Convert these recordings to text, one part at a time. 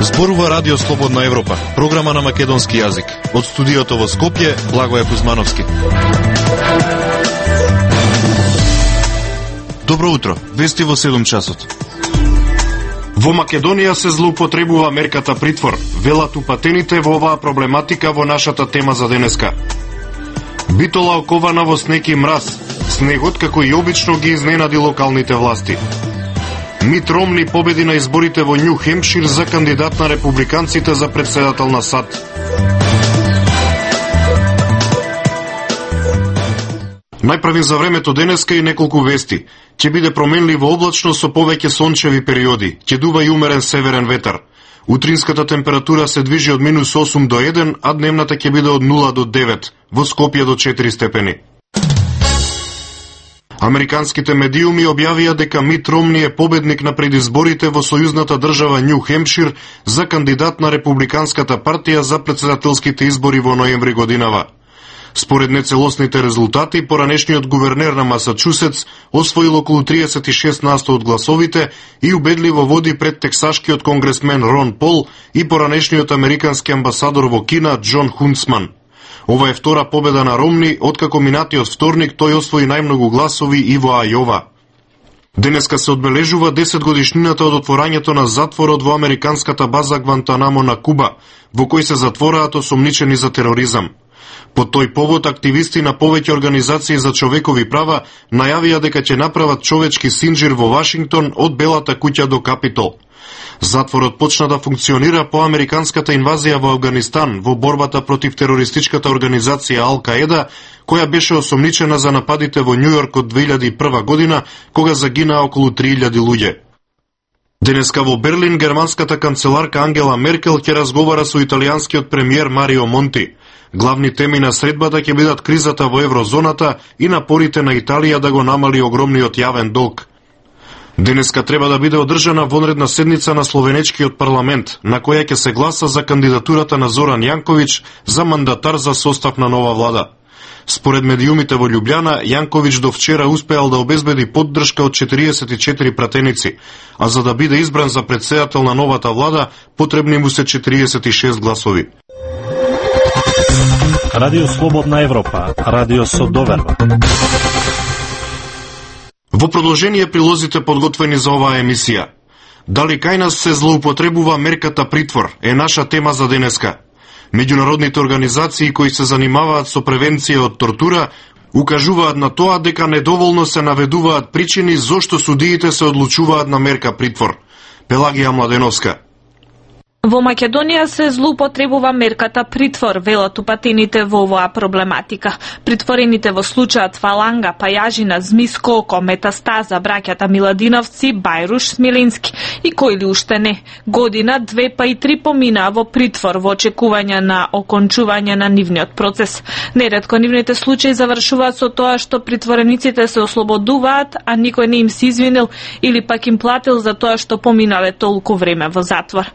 Зборува Радио Слободна Европа, програма на македонски јазик. Од студиото во Скопје, Благоје Кузмановски. Добро утро, вести во 7 часот. Во Македонија се злоупотребува мерката притвор. Велат упатените во оваа проблематика во нашата тема за денеска. Битола окована во снег и мраз. Снегот, како и обично, ги изненади локалните власти. Мит Ромни победи на изборите во Њу Хемпшир за кандидат на републиканците за претседател на САД. Најправим за времето денеска и неколку вести. Ќе биде променливо облачно со повеќе сончеви периоди. Ќе дува и умерен северен ветар. Утринската температура се движи од -8 до 1, а дневната ќе биде од 0 до 9, во Скопје до 4 степени. Американските медиуми објавија дека Мит Ромни е победник на предизборите во сојузната држава Њу Хемпшир за кандидат на републиканската партија за претседателските избори во ноември годинава. Според нецелосните резултати, поранешниот гувернер на Масачусетс освоил околу 36% од гласовите и убедливо води пред тексашкиот конгресмен Рон Пол и поранешниот американски амбасадор во Кина Џон Хунцман. Ова е втора победа на Ромни, откако минатиот вторник тој освои најмногу гласови и во Ајова. Денеска се одбележува 10 годишнината од отворањето на затворот во американската база Гвантанамо на Куба, во кој се затвораат осомничени за тероризам. По тој повод, активисти на повеќе организации за човекови права најавија дека ќе направат човечки синџир во Вашингтон од Белата куќа до Капитол. Затворот почна да функционира по американската инвазија во Авганистан во борбата против терористичката организација Ал-Каеда, која беше осомничена за нападите во Њујорк од 2001 година, кога загинаа околу 3000 луѓе. Денеска во Берлин германската канцеларка Ангела Меркел ќе разговара со италијанскиот премиер Марио Монти. Главни теми на средбата ќе бидат кризата во еврозоната и напорите на Италија да го намали огромниот јавен долг. Денеска треба да биде одржана вонредна седница на Словенечкиот парламент, на која ќе се гласа за кандидатурата на Зоран Јанковиć за мандатар за состав на нова влада. Според медиумите во Љубљана, Јанковиć до вчера успеал да обезбеди поддршка од 44 пратеници, а за да биде избран за претседател на новата влада, потребни му се 46 гласови. Радио Слободна Европа, радио со доверба. Во продолжение прилозите подготвени за оваа емисија. Дали кај нас се злоупотребува мерката притвор е наша тема за денеска. Меѓународните организации кои се занимаваат со превенција од тортура укажуваат на тоа дека недоволно се наведуваат причини зошто судиите се одлучуваат на мерка притвор. Пелагија Младеновска. Во Македонија се злоупотребува мерката притвор, велат упатените во оваа проблематика. Притворените во случајот Фаланга, Пајажина, Змис Колко, Метастаза, браќата Миладиновци, Бајруш, Смилински и кои ли уште не. Година, 2 па и 3 поминаа во притвор во очекување на окончување на нивниот процес. Неретко нивните случаи завршуваат со тоа што притворениците се ослободуваат, а никој не им се извинил или пак им платил за тоа што поминале толку време во затвор.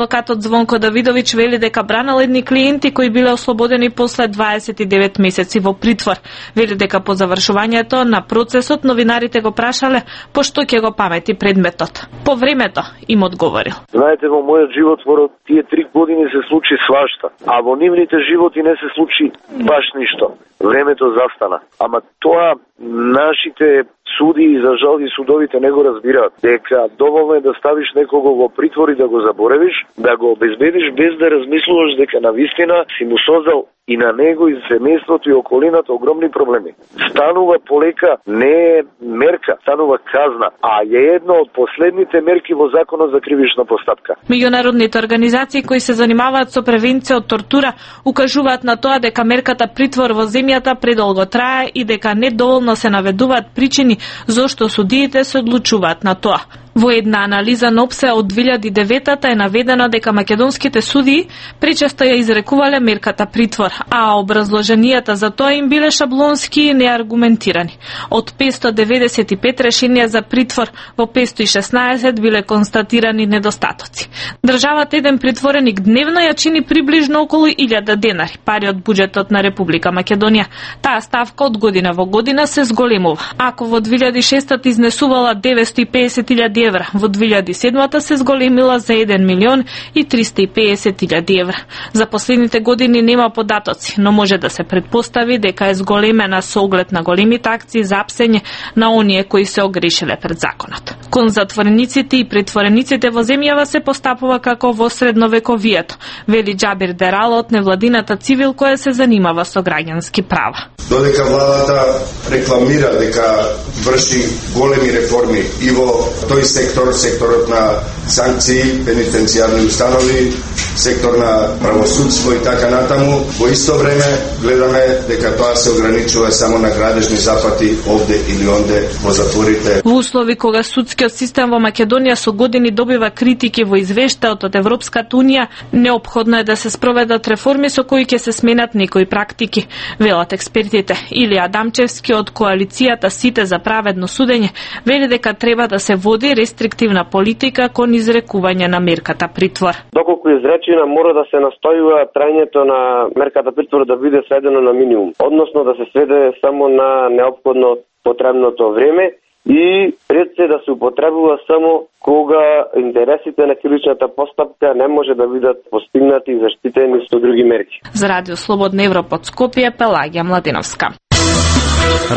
Адвокатот Звонко Давидовиќ вели дека бранал едни клиенти кои биле ослободени после 29 месеци во притвор. Вели дека по завршувањето на процесот новинарите го прашале пошто ќе го памети предметот. По времето им одговорил. Знаете, во мојот живот во тие 3 години се случи свашта, а во нивните животи не се случи баш ништо. Времето застана. Ама тоа нашите суди и за жал и судовите не го разбираат, дека доволно е да ставиш некого во притвор и да го заборавиш, да го обезбедиш без да размислуваш дека навистина си му создал и на него и семејството и околината огромни проблеми. Станува полека не е мерка, станува казна, а е една од последните мерки во Законот за кривична постапка. Меѓународните организации кои се занимаваат со превенција од тортура укажуваат на тоа дека мерката притвор во земјата предолго трае и дека недоволно се наведуваат причини зошто судиите се одлучуваат на тоа. Во една анализа на ОПСЕ од 2009 е наведено дека македонските судии пречесто ја изрекувале мерката притвор, а образложенијата за тоа им биле шаблонски и неаргументирани. Од 595 решенија за притвор во 516 биле констатирани недостатоци. Државата еден притвореник дневно ја чини приближно околу 1000 денари, пари од буџетот на Република Македонија. Таа ставка од година во година се зголемува. Ако во 2006 изнесувала 950.000 евра, во 2007 се зголемила за 1.350.000 евра. За последните години нема податоци, но може да се предпостави дека е зголемена со оглед на големите акции за апсење на оние кои се огрешиле пред законот. Кон затворениците и притворениците во земјава се постапува како во средновековието, вели Џабир Дерал од невладината Цивил која се занимава со граѓански права. Додека владата рекламира дека врши големи реформи и во тој секторот на санкции, пенитенцијарни установи, сектор на правосудство и така натаму, во исто време гледаме дека тоа се ограничува само на градежни запати овде или онде во затворите. Во услови кога судскиот систем во Македонија со години добива критики во извештајот од Европската унија, неопходно е да се спроведат реформи со кои ќе се сменат некои практики, велат експертите. Илија Адамчевски од коалицијата Сите за праведно судење вели дека треба да се води рестриктивна политика кон изрекување на мерката притвор. Доколку изречена мора да се настојува трајањето на мерката притвор да биде сведено на минимум, односно да се сведе само на неопходно потребното време и пред се да се употребува само кога интересите на кривичната постапка не може да бидат постигнати и заштитени со други мерки. За Радио Слободна Европа од Скопје, Пелагија Младиновска.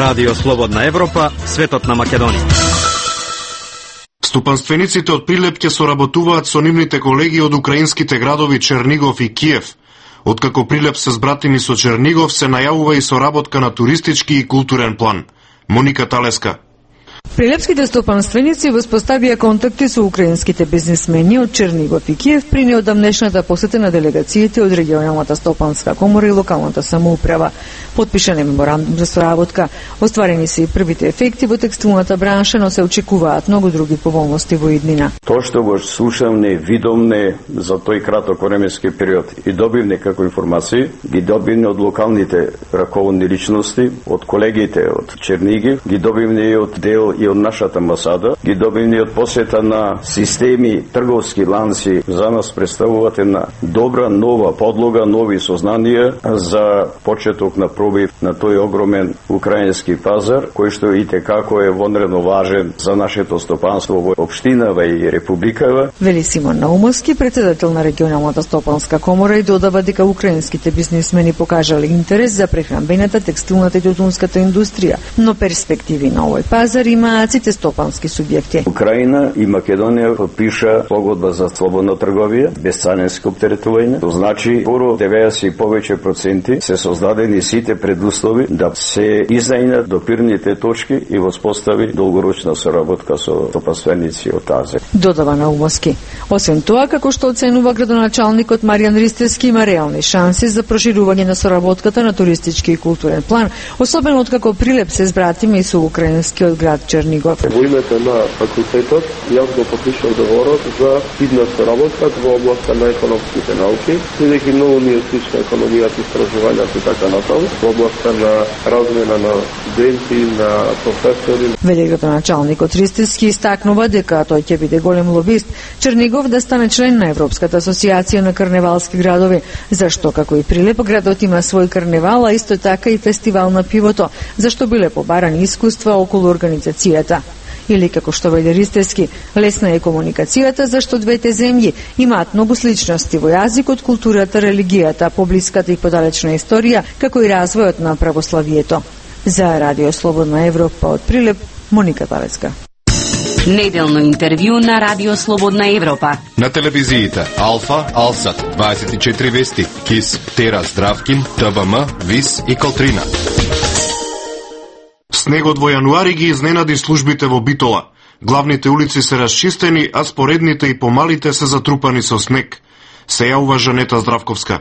Радио Слободна Европа, светот на Македонија. Стопанствениците од Прилеп ќе соработуваат со нивните колеги од украинските градови Чернигов и Киев. Откако Прилеп се збратими со Чернигов, се најавува и соработка на туристички и културен план. Моника Талеска. Прилепските стопанственици воспоставија контакти со украинските бизнисмени од Чернигов и Киев при неодамнешната посета на делегациите од регионалната стопанска комора и локалната самоуправа. Подпишан е меморандум за соработка. Остварени се и првите ефекти во текстилната бранша, но се очекуваат многу други поволности во иднина. Тоа што го слушавме, видовме за тој краток временски период и добивне како информации, ги добивне од локалните раководни личности, од колегите од Чернигив, ги добивне и од дел и од нашата амбасада, ги добивни од посета на системи, трговски ланци, за нас представуваат една добра нова подлога, нови сознанија за почеток на пробив на тој огромен украински пазар, кој што и текако е вонредно важен за нашето стопанство во општинава и републикава. Вели Симон Наумовски, председател на регионалната стопанска комора, и додава дека украинските бизнисмени покажале интерес за прехранбената, текстилната и тутунската индустрија, но перспективи на овој пазар имаат сите стопански субјекти. Украина и Македонија подпиша погодба за слободна трговија, без царинско оптеретување. Тоа значи, скоро 90 и повеќе проценти се создадени сите предуслови да се изнајнат допирните точки и воспостави долгорочна соработка со стопанственици од тази. Додава Наумовски. Освен тоа, како што оценува градоначалникот Маријан Ристевски, има реални шанси за проширување на соработката на туристички и културен план, особено откако Прилеп се збратиме и со украинскиот град Чернигов. Во името на факултетот, јас го подпишав договорот за идна соработка во областа на економските науки, бидејќи многу ни е слична економијата, истражувањата и така натаму, во областа на размена на студенти, на професори. Вели градоначалникот Ристевски истакнува дека тој ќе биде голем лобист Чернигов да стане член на Европската асоциација на карневалски градови, зашто како и Прилеп градот има свој карневал, а исто така и фестивал на пивото, зашто биле побарани искуства околу организацијата. Или како што вели Ристевски, лесна е комуникацијата, зашто двете земји имаат многу сличности во јазикот, културата, религијата, поблиската и подалечна историја, како и развојот на православието. За Радио Слободна Европа од Прилеп, Моника Талеска. Неделно интервју на Радио Слободна Европа. На телевизиите Алфа, Алсат, 24 вести, КИС, Тера, Здравкин, ТВМ, ВИС и Колтрина. Снегот во јануари ги изненади службите во Битола. Главните улици се расчистени, а споредните и помалите се затрупани со снег. Се јавува Жанета Здравковска.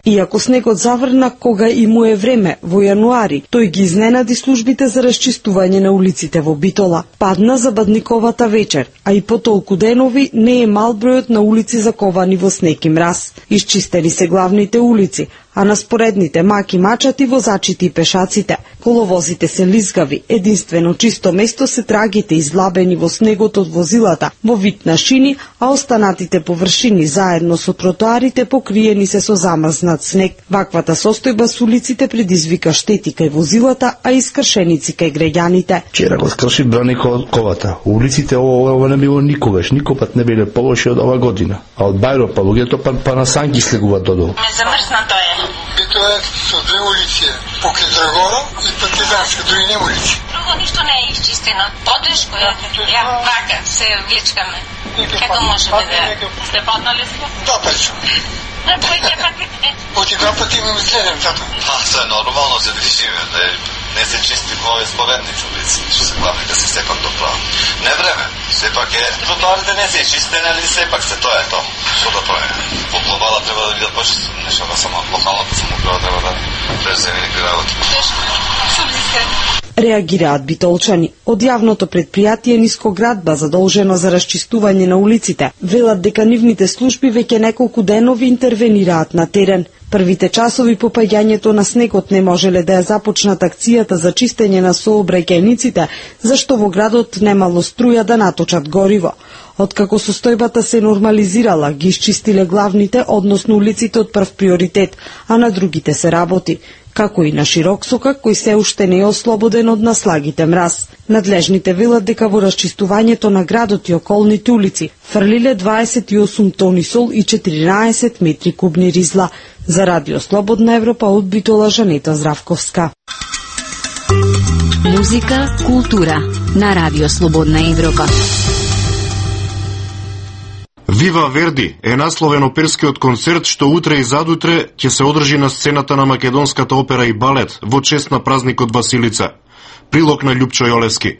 Иако снегот заврна кога и му е време, во јануари, тој ги изненади службите за расчистување на улиците во Битола. Падна забадниковата вечер, а и по толку денови не е мал бројот на улици заковани во снег и мраз. Исчистени се главните улици, а на споредните маки мачати возачите и пешаците. Коловозите се лизгави, единствено чисто место се трагите излабени во снегот од возилата, во вид на шини, а останатите површини заедно со тротоарите покриени се со замрзнат снег. Ваквата состојба со улиците предизвика штети кај возилата, а и скршеници кај граѓаните. Вчера го скрши Браниковата. Улиците ова не било никогаш, никопат не биле полоши од ова година. А од Бајро па луѓето па на санки слегуваат додолу. Замрзнато е. Бито е со две улици, покрај Драгора и Партизанска, други нема улици. Друго ништо не е изчистено. Одеш која вака се влечкаме. Како можеме да сте паднали сме? Да, печо. Оти два пати имаме следен тато. Тоа е нормално за движиме, не се чисти во овие споредници улици, што се главни да се сепак доправи. Не време, сепак е, тротоарите не се чистени, али сепак се тоа е тоа. Што да правиме? По глобала треба да видат почистени нешто, само локалната самоуправа треба да преземи некои работи. Реагираат битолчани. Од јавното предпријатие Нискоградба, задолжено за расчистување на улиците, велат дека нивните служби веќе неколку денови интервенираат на терен. Првите часови по паѓањето на снегот не можеле да ја започнат акцијата за чистење на сообраќајниците, зашто во градот немало струја да наточат гориво. Откако состојбата се нормализирала, ги исчистиле главните, односно улиците од прв приоритет, а на другите се работи, како и на Широксокак, кој се уште не е ослободен од наслагите мраз. Надлежните велат дека во расчистувањето на градот и околните улици фрлиле 28 тони сол и 14 метри кубни ризла. За Радио Слободна Европа од Битола, Жанета Здравковска. Музика, култура на Радио Слободна Европа. Вива Верди е насловен оперскиот концерт што утре и задутре ќе се одржи на сцената на Македонската опера и балет во чест на празникот Василица. Прилог на Љупчо Јолевски.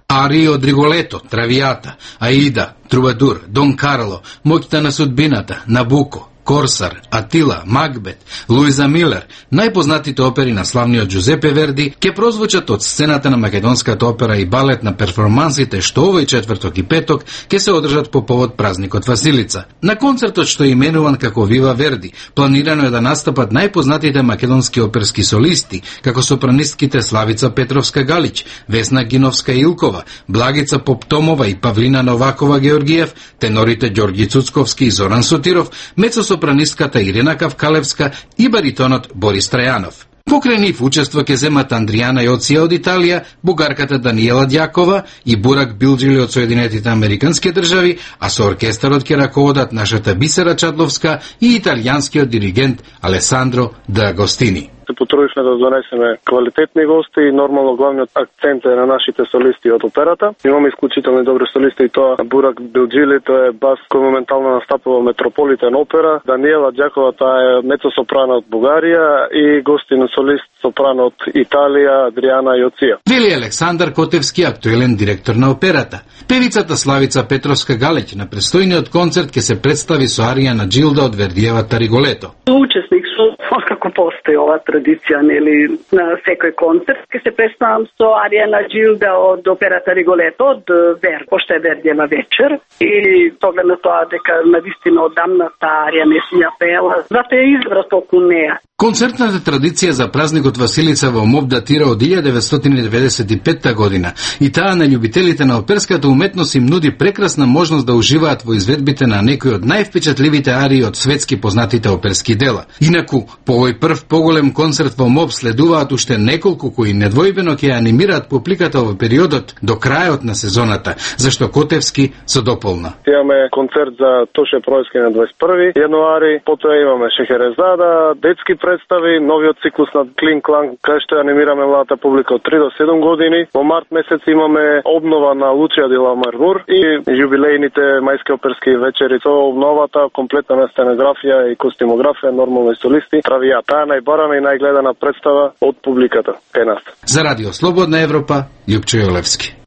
Арии од Риголето, Травијата, Аида, Трубадур, Дон Карло, Моќта на судбината, Набуко, Корсар, Атила, Макбет, Луиза Милер, најпознатите опери на славниот Джузепе Верди, ќе прозвучат од сцената на Македонската опера и балет на перформансите што овој четврток и петок ќе се одржат по повод празникот Василица. На концертот што е именуван како Вива Верди, планирано е да настапат најпознатите македонски оперски солисти, како сопранистките Славица Петровска Галич, Весна Гиновска Илкова, Благица Поптомова и Павлина Новакова Георгиев, тенорите Ѓорги Цуцковски и Зоран Сотиров, мецосопранистката Ирина Кавкалевска и баритонот Борис Трајанов. Покрај нив учество ќе земат Андријана Јоција од Италија, бугарката Даниела Дјакова и Бурак Билџили од Соединетите Американски држави, а со оркестарот ќе раководат нашата Бисера Чадловска и италијанскиот диригент Алесандро Д'Агостини. Се потрудивме да донесеме квалитетни гости и нормално главниот акцент е на нашите солисти од операта. Имаме исклучителни добри солисти и тоа Бурак Билџили, тоа е бас кој моментално настапува Метрополитен опера, Даниела Дјакова, таа е мецосопрано од Бугарија и гостин солист сопрано од Италија Адријана Јоција. Вели Александар Котевски, актуелен директор на операта. Певицата Славица Петровска Галеќ на престојниот концерт ќе се представи со арија на Джилда од Вердиевата Риголето. Учесник со како постои ова традиција, нели, на секој концерт ќе се представам со арија на Джилда од операта Риголето од Верди, пошто е Вердиева вечер и поглед на тоа дека навистина одамна таа арија не си ја пеела, затоа ја избра толку неа. Концертната традиција за празникот Василица во МОБ датира од 1995 година и таа на љубителите на оперската уметност им нуди прекрасна можност да уживаат во изведбите на некои од највпечатливите арии од светски познатите оперски дела. Инаку, по овој прв поголем концерт во МОБ следуваат уште неколку кои недвојбено ќе анимираат публиката во периодот до крајот на сезоната, зашто Котевски се дополна. Имаме концерт за Тоше Пројски на 21 јануари, потоа имаме Шехерезада, детски представи, новиот циклус на Клин Клан, кај што анимираме младата публика од 3 до 7 години. Во март месец имаме обнова на Лучија де ла Мармур и јубилејните мајски оперски вечери со обновата комплетна на сценографија и костимографија, нормално и солисти. Травијата, таа најбарана и најгледана представа од публиката кај нас. За Радио Слободна Европа, Љупчо Јолевски.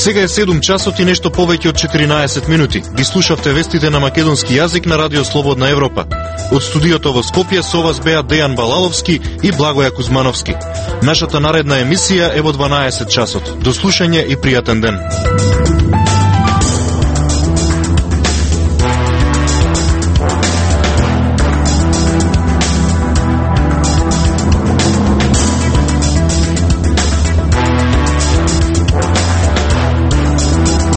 Сега е 7 часот и нешто повеќе од 14 минути. Ги слушавте вестите на македонски јазик на Радио Слободна Европа. Од студиото во Скопје со вас беа Дејан Балаловски и Благоја Кузмановски. Нашата наредна емисија е во 12 часот. До слушање и пријатен ден.